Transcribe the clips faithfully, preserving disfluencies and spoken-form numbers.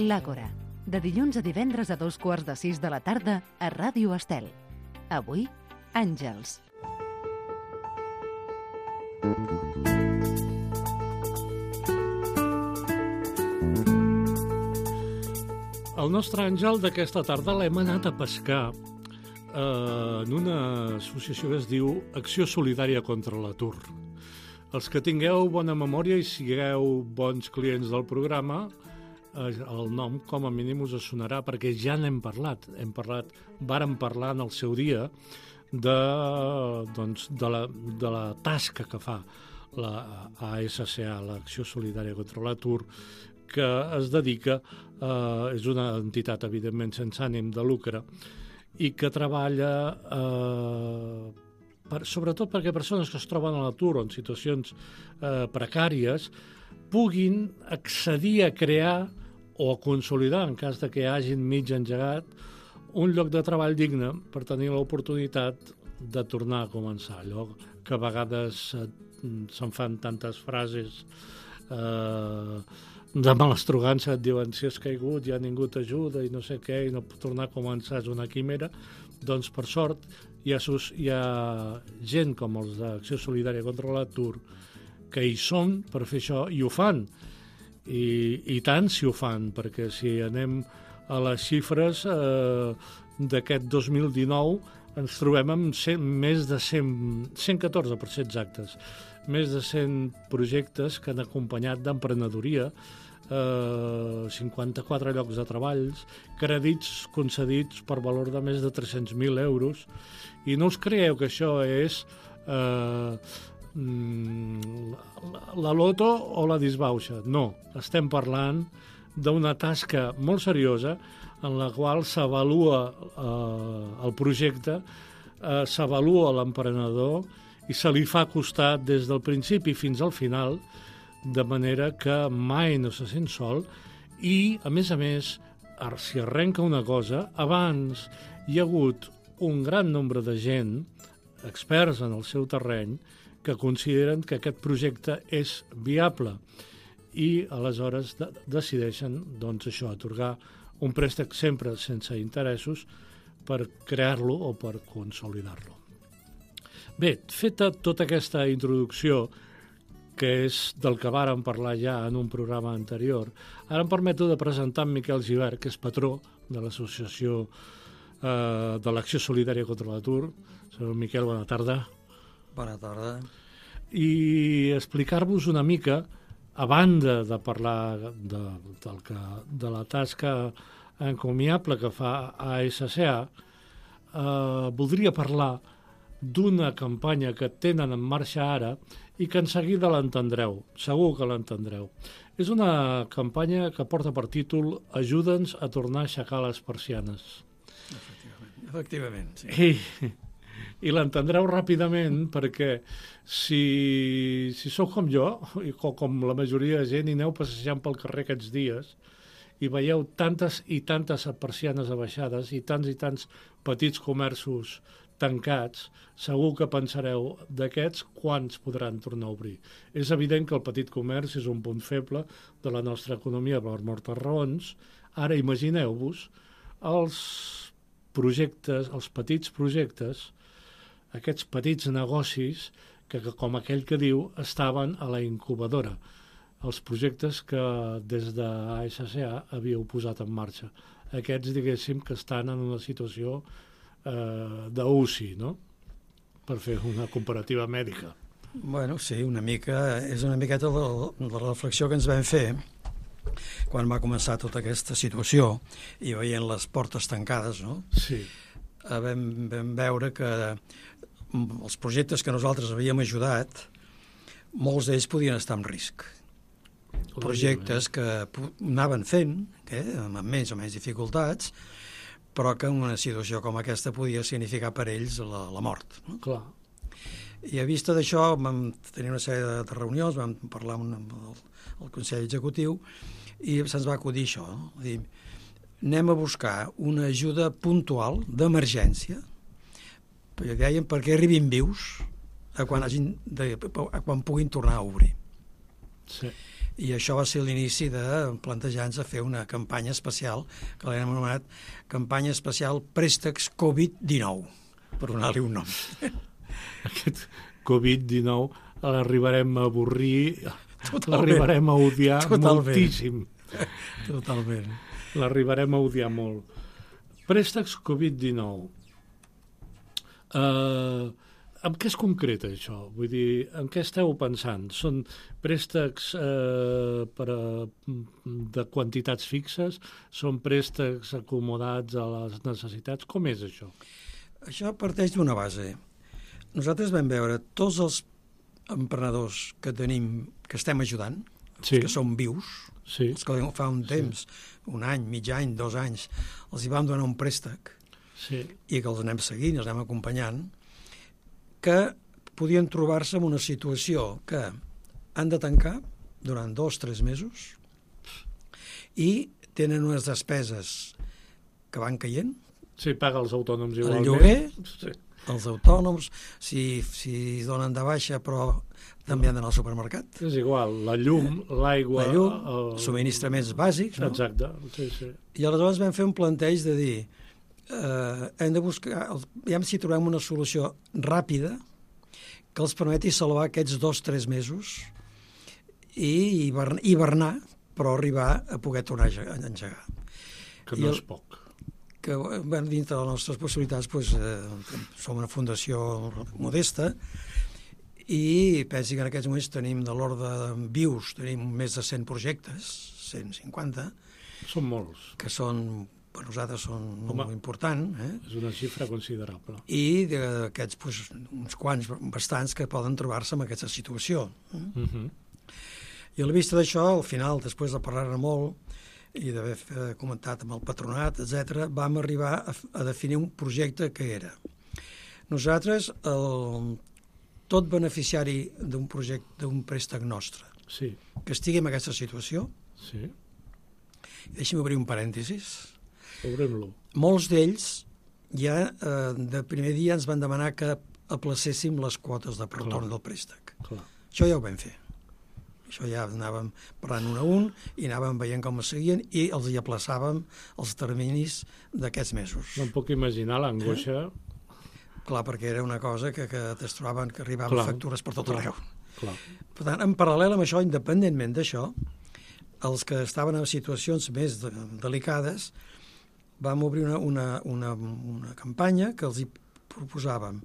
L'Àgora, de dilluns a divendres a dos quarts de sis de la tarda a Ràdio Estel. Avui, Àngels. El nostre àngel d'aquesta tarda l'hem anat a pescar eh, en una associació que es diu Acció Solidària contra l'Atur. Els que tingueu bona memòria i sigueu bons clients del programa, eh, el nom com a mínim us sonarà perquè ja n'hem parlat. Hem parlat, vàrem parlar en el seu dia de, doncs, de, la, de la tasca que fa la A S C A, l'Acció Solidària contra l'Atur, que es dedica, eh, és una entitat evidentment sense ànim de lucre i que treballa eh, per, sobretot perquè persones que es troben a l'atur o en situacions eh, precàries puguin accedir a crear o a consolidar, en cas de que hagin mig engegat, un lloc de treball digne per tenir l'oportunitat de tornar a començar. Allò que a vegades eh, se'n fan tantes frases eh, de malastrugança, et diuen si has caigut ja ningú t'ajuda i no sé què, i no tornar a començar és una quimera. Doncs per sort hi ha, hi ha gent com els d'Acció Solidària contra l'Atur que hi són per fer això i ho fan, i, i tant si ho fan, perquè si anem a les xifres eh, d'aquest dos mil dinou ens trobem amb cent, més de cent, cent catorze per ser exactes, més de cent projectes que han acompanyat d'emprenedoria, eh, cinquanta-quatre llocs de treballs, crèdits concedits per valor de més de tres-cents mil euros, i no us creieu que això és eh, la loto o la disbauxa. No, estem parlant d'una tasca molt seriosa en la qual s'avalua eh, el projecte, eh, s'avalua l'emprenedor i se li fa costat des del principi fins al final, de manera que mai no se sent sol i, a més a més, si arrenca una cosa, abans hi ha hagut un gran nombre de gent, experts en el seu terreny, que consideren que aquest projecte és viable i aleshores de- decideixen doncs, això, atorgar un préstec sempre sense interessos per crear-lo o per consolidar-lo. Bé, feta tota aquesta introducció, que és del que vàrem parlar ja en un programa anterior, ara em permeto de presentar en Miquel Gibert, que és patró de l'associació eh, de l'Acció Solidària contra l'Atur. Senyor Miquel, bona tarda. Bona tarda. I explicar-vos una mica, a banda de parlar de, del que, de la tasca encomiable que fa A S C A, eh, voldria parlar d'una campanya que tenen en marxa ara i que en seguida l'entendreu, segur que l'entendreu. És una campanya que porta per títol Ajuda'ns a tornar a aixecar les persianes. Efectivament, Efectivament sí. I, i l'entendreu ràpidament perquè si, si sou com jo, i com, com la majoria de gent, i aneu passejant pel carrer aquests dies i veieu tantes i tantes persianes abaixades i tants i tants petits comerços tancats, segur que pensareu d'aquests quants podran tornar a obrir. És evident que el petit comerç és un punt feble de la nostra economia per moltes raons. Ara imagineu-vos els projectes, els petits projectes, aquests petits negocis que, que, com aquell que diu, estaven a la incubadora. Els projectes que des de A S C A havíeu posat en marxa. Aquests, diguéssim, que estan en una situació eh, d'U C I, no? Per fer una comparativa mèdica. Bueno, sí, una mica, és una miqueta la, la reflexió que ens vam fer quan va començar tota aquesta situació i veient les portes tancades, no? Sí. Eh, Vam, vam veure que els projectes que nosaltres havíem ajudat, molts d'ells podien estar en risc. Projectes que anaven fent, eh, amb més o menys dificultats, però que en una situació com aquesta podia significar per ells la, la mort. No? Clar. I a vista d'això vam tenir una sèrie de, de reunions, vam parlar amb, amb el, el Consell Executiu i se'ns va acudir això, no? Dir, anem a buscar una ajuda puntual d'emergència, perquè deien perquè arribin vius a quan, hagin de, a quan puguin tornar a obrir. Sí. I això va ser l'inici de plantejar-nos a fer una campanya especial, que l'hem anomenat campanya especial Préstecs covid dinou, per donar-li un nom. Aquest covid dinou l'arribarem a avorrir, l'arribarem a odiar Totalment. moltíssim. Totalment. L'arribarem a odiar molt. Préstecs covid dinou. Uh, en què es concreta això? Vull dir, en què esteu pensant? Són préstecs uh, per a, de quantitats fixes? Són préstecs acomodats a les necessitats? Com és això? Això parteix d'una base. Nosaltres vam veure tots els emprenedors que tenim, que estem ajudant, Sí. els que són vius, Sí. els que fa un temps, un any, mig any, dos anys, els hi vam donar un préstec Sí. i que els anem seguint, els anem acompanyant, que podien trobar-se en una situació que han de tancar durant dos o tres mesos i tenen unes despeses que van caient, Sí, paga els autònoms el igualment. lloguer, Sí. els autònoms, si, si donen de baixa però també han d'anar al supermercat, És igual, la llum, l'aigua... la llum, el... subministraments bàsics, no? Exacte, sí, sí. I aleshores vam fer un planteig de dir eh, hem de buscar, ja si trobem una solució ràpida que els permeti salvar aquests dos o tres mesos i hibernar, hibernar, però arribar a poder tornar a engegar. Que I no el- és poc. Que bueno, dintre de les nostres possibilitats doncs, eh, som una fundació modesta i pensi que en aquests moments tenim de l'ordre de vius, tenim més de cent projectes, cent cinquanta, Són molts. que són, per nosaltres són Home. molt important, eh? És una xifra considerable. I d'aquests, doncs, uns quants, bastants, que poden trobar-se en aquesta situació. Eh? Uh -huh. I a la vista d'això, al final, després de parlar-ne molt i d'haver eh, comentat amb el patronat, etcètera, vam arribar a, a definir un projecte que era. Nosaltres, el, tot beneficiari d'un projecte, d'un préstec nostre, Sí, que estigui en aquesta situació, sí. deixi'm obrir un parèntesis, Obrem-lo. molts d'ells ja eh, de primer dia ens van demanar que aplacéssim les quotes de retorn Clar. del préstec. Clar. Això ja ho vam fer. Això ja anàvem parlant un a un i anàvem veient com es seguien i els hi aplaçàvem els terminis d'aquests mesos. No em puc imaginar l'angoixa. Eh? Clar, perquè era una cosa que, que es trobaven que arribaven Clar. factures per tot Clar. arreu. Clar. Per tant, en paral·lel amb això, independentment d'això, els que estaven en situacions més de, delicades, vam obrir una, una, una, una campanya que els hi proposàvem.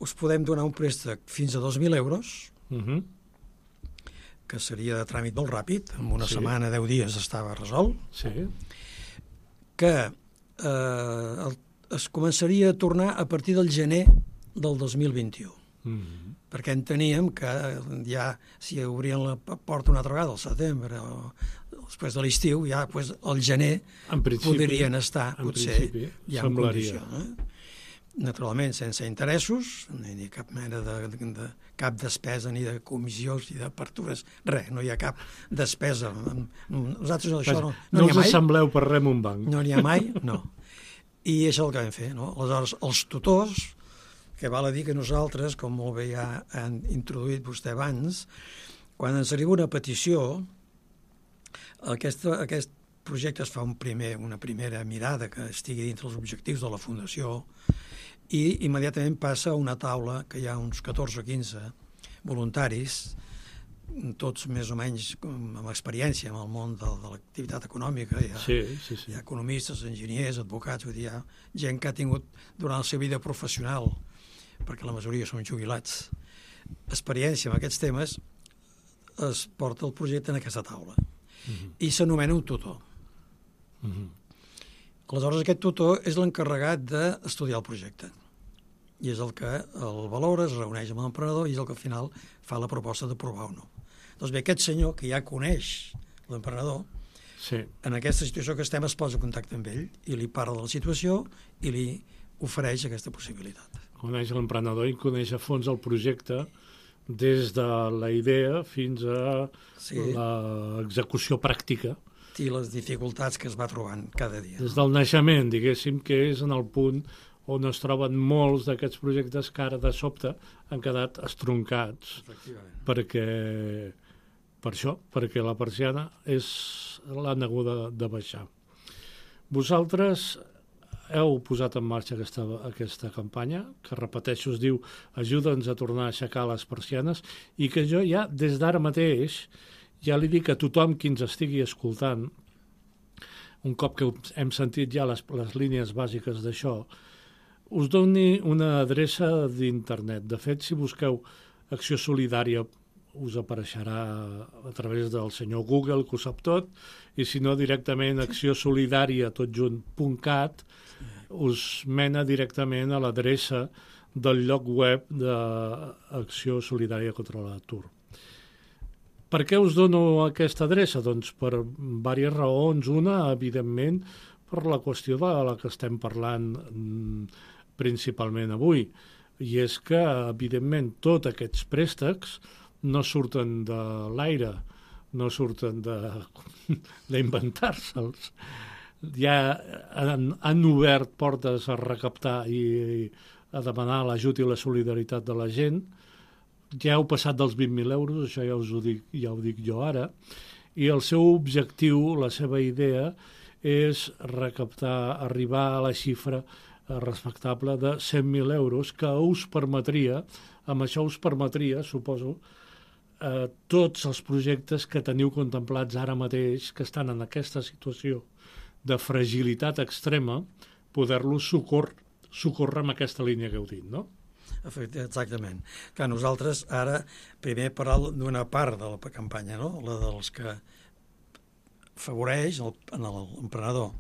Us podem donar un préstec fins a dos mil euros, Uh -huh. que seria de tràmit molt ràpid, en una Sí. setmana, deu dies estava resolt, Sí. que eh, el, es començaria a tornar a partir del gener del dos mil vint-i-u. Uh -huh. Perquè enteníem que ja, si obrien la porta una altra vegada al setembre o després de l'estiu, ja pues, al gener En principi, podrien estar, en potser, principi, ja en semblaria. condició. Eh? Naturalment, sense interessos, ni, ni cap mena de, de, de cap despesa, ni de comissions, ni d'apertures, res, no hi ha cap despesa. Nosaltres això no, No, no n'hi us ha mai. assembleu per res en un banc. No n'hi ha mai, no. I això és el que vam fer, no? Aleshores, els tutors, que val a dir que nosaltres, com molt bé ja han introduït vostè abans, quan ens arriba una petició, aquesta, aquest projecte es fa un primer, una primera mirada que estigui dintre els objectius de la Fundació i immediatament passa a una taula que hi ha uns catorze o quinze voluntaris, tots més o menys amb experiència en el món de, de l'activitat econòmica. Hi ha, Sí, sí, sí. hi ha economistes, enginyers, advocats, vull dir, hi ha gent que ha tingut durant la seva vida professional, perquè la majoria són jubilats, experiència en aquests temes, es porta el projecte en aquesta taula. Uh -huh. I s'anomena un tutor. Uh -huh. Aleshores, aquest tutor és l'encarregat d'estudiar el projecte. I és el que el valora, es reuneix amb l'emprenedor i és el que al final fa la proposta d'aprovar o no. Doncs bé, aquest senyor, que ja coneix l'emprenedor, Sí. en aquesta situació que estem es posa en contacte amb ell i li parla de la situació i li ofereix aquesta possibilitat. Coneix l'emprenedor i coneix a fons el projecte des de la idea fins a Sí. l'execució pràctica. I les dificultats que es va trobant cada dia. Des del naixement, diguéssim, que és en el punt on es troben molts d'aquests projectes que ara de sobte han quedat estroncats Efectivament. perquè per això, perquè la persiana és l'han hagut de, de baixar. Vosaltres heu posat en marxa aquesta, aquesta campanya, que repeteixo, es diu Ajuda'ns a tornar a aixecar les persianes, i que jo ja, des d'ara mateix, ja li dic a tothom qui ens estigui escoltant, un cop que hem sentit ja les, les línies bàsiques d'això, us doni una adreça d'internet. De fet, si busqueu Acció Solidària, us apareixerà a través del senyor Google, que ho sap tot, i si no, directament acció solidària tot junt punt cat us mena directament a l'adreça del lloc web d'Acció Solidària contra l'Atur. Per què us dono aquesta adreça? Doncs per diverses raons. Una, evidentment, per la qüestió de la que estem parlant principalment avui, i és que, evidentment, tots aquests préstecs no surten de l'aire, no surten d'inventar-se'ls. Ja han, han obert portes a recaptar i, i a demanar l'ajut i la solidaritat de la gent. Ja heu passat dels vint mil euros, això ja us ho dic, ja ho dic jo ara, i el seu objectiu, la seva idea, és recaptar, arribar a la xifra respectable de cent mil euros, que us permetria, amb això us permetria, suposo, eh, tots els projectes que teniu contemplats ara mateix, que estan en aquesta situació de fragilitat extrema, poder-los socor socórrer amb aquesta línia que heu dit, no? Exactament. Que nosaltres ara primer parlem d'una part de la campanya, no? La dels que afavoreix l'emprenedor.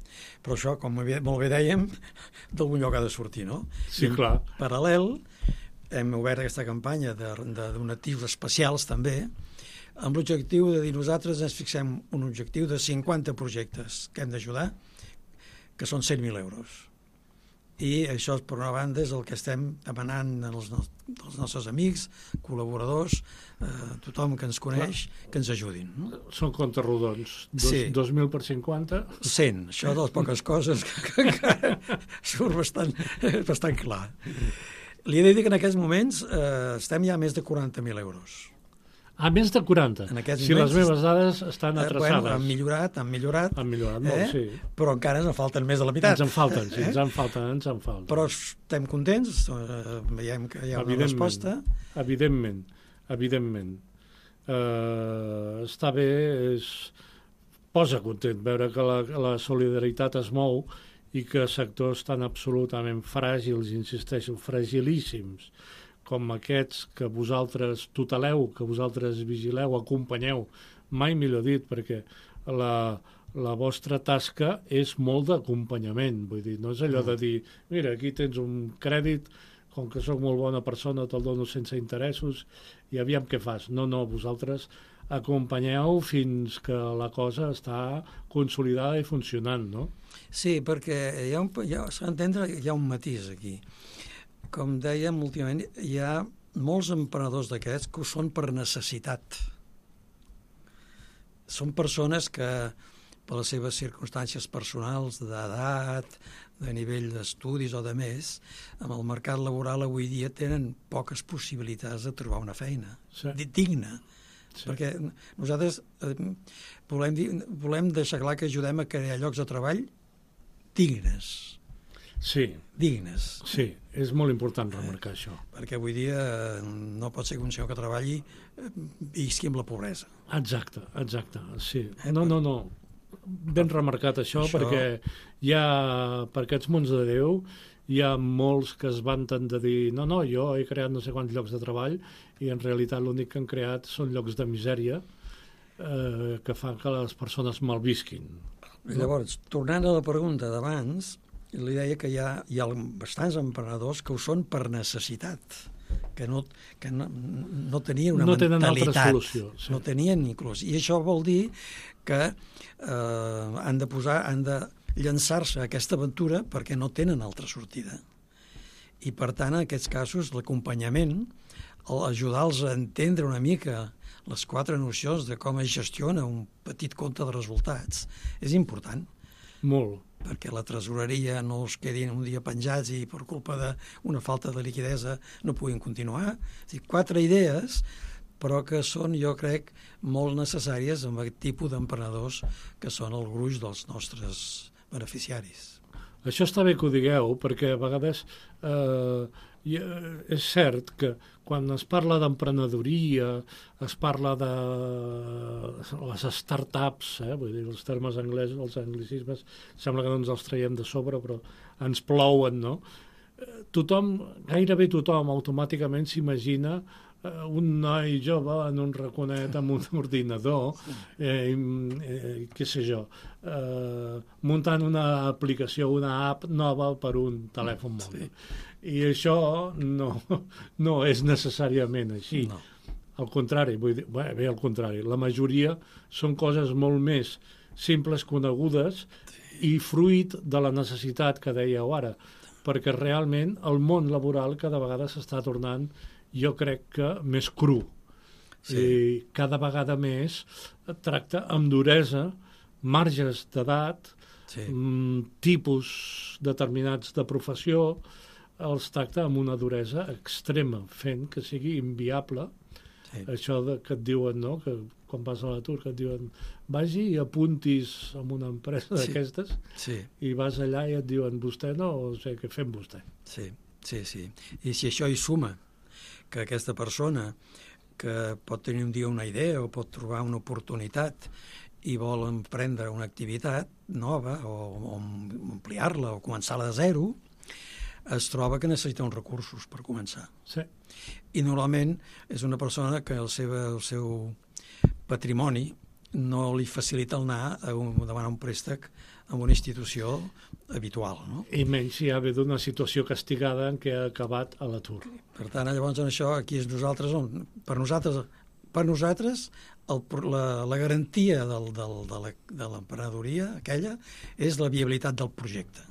Però això, com molt bé dèiem, d'algun lloc ha de sortir, no? Sí, clar. En paral·lel, hem obert aquesta campanya de, de donatius especials també, amb l'objectiu de dir nosaltres ens fixem un objectiu de cinquanta projectes que hem d'ajudar, que són cent mil euros. I això, per una banda, és el que estem demanant als, als nostres amics, col·laboradors, eh, tothom que ens coneix, clar, que ens ajudin. No? Són comptes rodons. Dos, sí. dos mil per cinquanta? cent. Això de les poques coses que, que, que surt bastant, bastant clar. Li he de dir que en aquests moments eh, estem ja a més de quaranta mil euros. A més de quaranta. Si moments, les meves dades estan atrasades. Eh, bueno, han millorat, han millorat. Han millorat molt, eh? Sí. Però encara ens en falten més de la meitat. Ens en falten, sí, eh? ens en falten, ens en falten. Però estem contents, eh, veiem que hi ha una resposta. Evidentment, evidentment. Uh, està bé, és... posa content veure que la, la solidaritat es mou i que sectors tan absolutament fràgils, insisteixo, fragilíssims, com aquests que vosaltres tuteleu, que vosaltres vigileu, acompanyeu, mai millor dit, perquè la, la vostra tasca és molt d'acompanyament, vull dir, no és allò de dir, mira, aquí tens un crèdit, com que sóc molt bona persona, te'l dono sense interessos, i aviam què fas. No, no, vosaltres acompanyeu fins que la cosa està consolidada i funcionant, no? Sí, perquè hi ha un, hi ha, s'ha d'entendre, hi ha un matís aquí. Com dèiem, últimament hi ha molts emprenedors d'aquests que ho són per necessitat. Són persones que, per les seves circumstàncies personals, d'edat, de nivell d'estudis o de més, amb el mercat laboral avui dia tenen poques possibilitats de trobar una feina sí. digna. Sí. Perquè nosaltres eh, volem, dir, volem deixar clar que ajudem a crear llocs de treball dignes. Sí. dignes. Sí, és molt important remarcar eh, això. Perquè avui dia no pot ser que un senyor que treballi visqui amb la pobresa. Exacte, exacte, sí. Eh, no, no, no. Ben remarcat això, això, perquè hi ha, per aquests mons de Déu, hi ha molts que es vanten de dir no, no, jo he creat no sé quants llocs de treball i en realitat l'únic que han creat són llocs de misèria eh, que fan que les persones malvisquin. I llavors, tornant a la pregunta d'abans, li deia que hi ha, hi ha bastants emprenedors que ho són per necessitat, que no, que no, no tenien una no mentalitat. No tenen altra solució. Sí. No tenien inclús. I això vol dir que eh, han de posar, han de llançar-se a aquesta aventura perquè no tenen altra sortida. I, per tant, en aquests casos, l'acompanyament, ajudar-los a entendre una mica les quatre nocions de com es gestiona un petit compte de resultats, és important. Molt. Perquè la tresoreria no es quedin un dia penjats i per culpa d'una falta de liquidesa no puguin continuar. És a dir, quatre idees però que són, jo crec, molt necessàries amb aquest tipus d'emprenedors que són el gruix dels nostres beneficiaris. Això està bé que ho digueu, perquè a vegades eh, és cert que quan es parla d'emprenedoria, es parla de les startups, eh, vull dir, els termes anglesos, els anglicismes, sembla que no ens els traiem de sobre, però ens plouen, no? Tothom, gairebé tothom, automàticament s'imagina un noi jove en un raconet amb un ordinador, eh, eh, què sé jo, eh, muntant una aplicació, una app nova per un telèfon mòbil. Sí. I això no, no és necessàriament així. No. Al contrari, vull dir, bé, bé, al contrari, la majoria són coses molt més simples, conegudes, sí. I fruit de la necessitat que dèieu ara, perquè realment el món laboral cada vegada s'està tornant, jo crec que més cru. Sí. I cada vegada més tracta amb duresa marges d'edat, sí. tipus determinats de professió, els tracta amb una duresa extrema, fent que sigui inviable. Sí. Això de, que et diuen, no?, que quan vas a l'atur, que et diuen vagi i apuntis en una empresa sí. d'aquestes, sí. I vas allà i et diuen vostè no, o sigui, què fem vostè? Sí, sí, sí. I si això hi suma que aquesta persona que pot tenir un dia una idea o pot trobar una oportunitat i vol emprendre una activitat nova o, o ampliar-la o començar-la de zero, es troba que necessita uns recursos per començar. Sí. I normalment és una persona que el seu, el seu patrimoni no li facilita el anar a un, demanar un préstec en una institució habitual, no? I menys si ha ve d'una situació castigada en què ha acabat a l'atur. Per tant, llavors, en això, aquí és nosaltres, on, per nosaltres, per nosaltres el, la, la garantia del, del, de l'emprenedoria aquella és la viabilitat del projecte.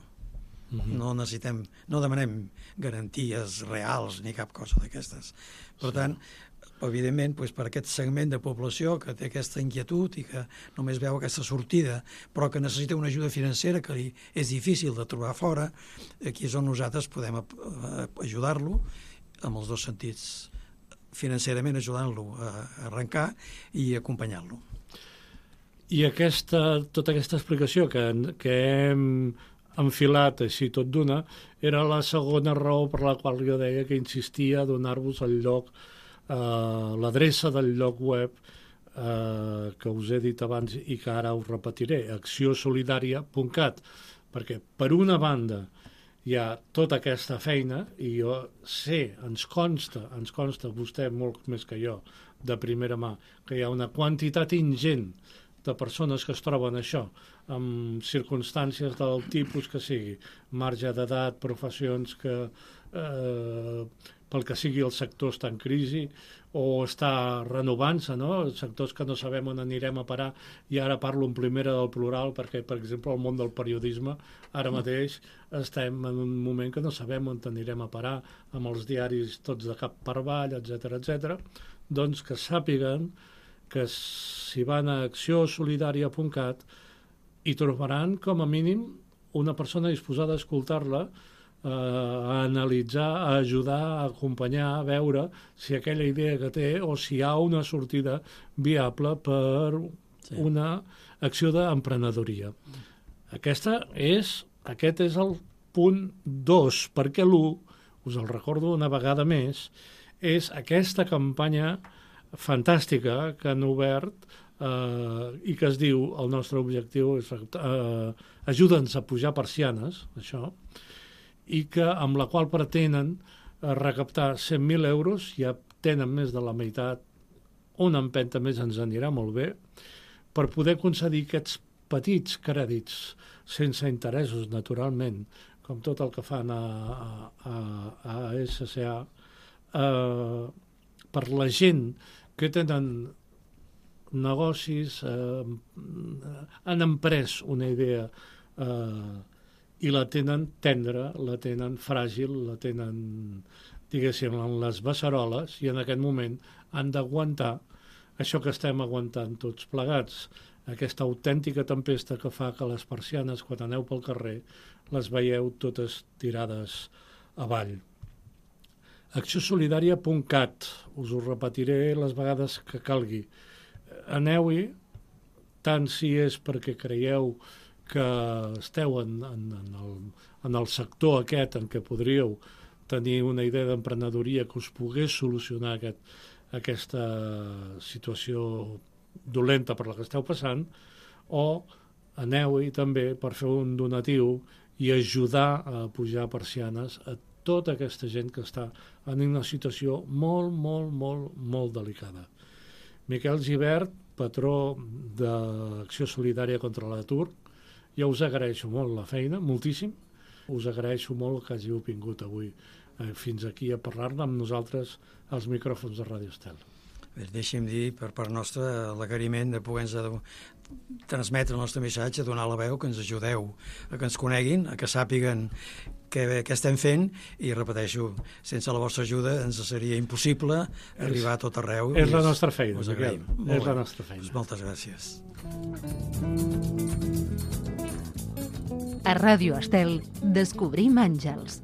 Mm-hmm. No necessitem, no demanem garanties reals ni cap cosa d'aquestes. Per sí. tant, evidentment, doncs, per aquest segment de població que té aquesta inquietud i que només veu aquesta sortida, però que necessita una ajuda financera que li és difícil de trobar fora, aquí és on nosaltres podem ajudar-lo en els dos sentits, financerament ajudant-lo a arrencar i acompanyar-lo. I aquesta, tota aquesta explicació que, que hem enfilat així tot d'una era la segona raó per la qual jo deia que insistia a donar-vos el lloc, Uh, l'adreça del lloc web uh, que us he dit abans i que ara us repetiré, acció solidària punt cat, perquè per una banda hi ha tota aquesta feina i jo sé, ens consta, ens consta vostè molt més que jo, de primera mà, que hi ha una quantitat ingent de persones que es troben això, amb circumstàncies del tipus que sigui, marge d'edat, professions que eh, pel que sigui el sector està en crisi o està renovant-se, no? Sectors que no sabem on anirem a parar, i ara parlo en primera del plural perquè, per exemple, el món del periodisme ara mateix estem en un moment que no sabem on anirem a parar, amb els diaris tots de cap per avall, etcètera, etcètera. Doncs que sàpiguen que si van a acció solidària punt cat hi trobaran com a mínim una persona disposada a escoltar-la, a analitzar, a ajudar, a acompanyar, a veure si aquella idea que té o si hi ha una sortida viable per sí. una acció d'emprenedoria. Aquesta és, aquest és el punt dos, perquè l'u, us el recordo una vegada més, és aquesta campanya fantàstica que han obert eh, i que es diu, el nostre objectiu és eh, ajuda'ns a pujar persianes, això, i que amb la qual pretenen recaptar cent mil euros, ja tenen més de la meitat, una empenta més ens anirà molt bé, per poder concedir aquests petits crèdits, sense interessos, naturalment, com tot el que fan a, a, a S C A, eh, per la gent que tenen negocis, eh, han emprès una idea eh, i la tenen tendra, la tenen fràgil, la tenen, diguéssim, en les beceroles, i en aquest moment han d'aguantar això que estem aguantant tots plegats, aquesta autèntica tempesta que fa que les persianes, quan aneu pel carrer, les veieu totes tirades avall. acció solidària punt cat. Us ho repetiré les vegades que calgui. Aneu-hi, tant si és perquè creieu que esteu en, en, en, el, en el sector aquest en què podríeu tenir una idea d'emprenedoria que us pogués solucionar aquest, aquesta situació dolenta per la que esteu passant, o aneu-hi també per fer un donatiu i ajudar a pujar persianes a tota aquesta gent que està en una situació molt, molt, molt, molt delicada. Miquel Gibert, patró d'Acció Solidària contra l'Atur, jo us agraeixo molt la feina, moltíssim. Us agraeixo molt que hàgiu vingut avui eh, fins aquí a parlar-ne amb nosaltres als micròfons de Ràdio Estel. Deixi'm dir, per part nostra, l'agraïment de poder-nos transmetre el nostre missatge, donar la veu, que ens ajudeu a que ens coneguin, a que sàpiguen què, què estem fent, i repeteixo, sense la vostra ajuda ens seria impossible arribar a tot arreu. És la nostra feina, Miquel. És la nostra feina. Pues moltes gràcies. A Ràdio Estel descobrim àngels.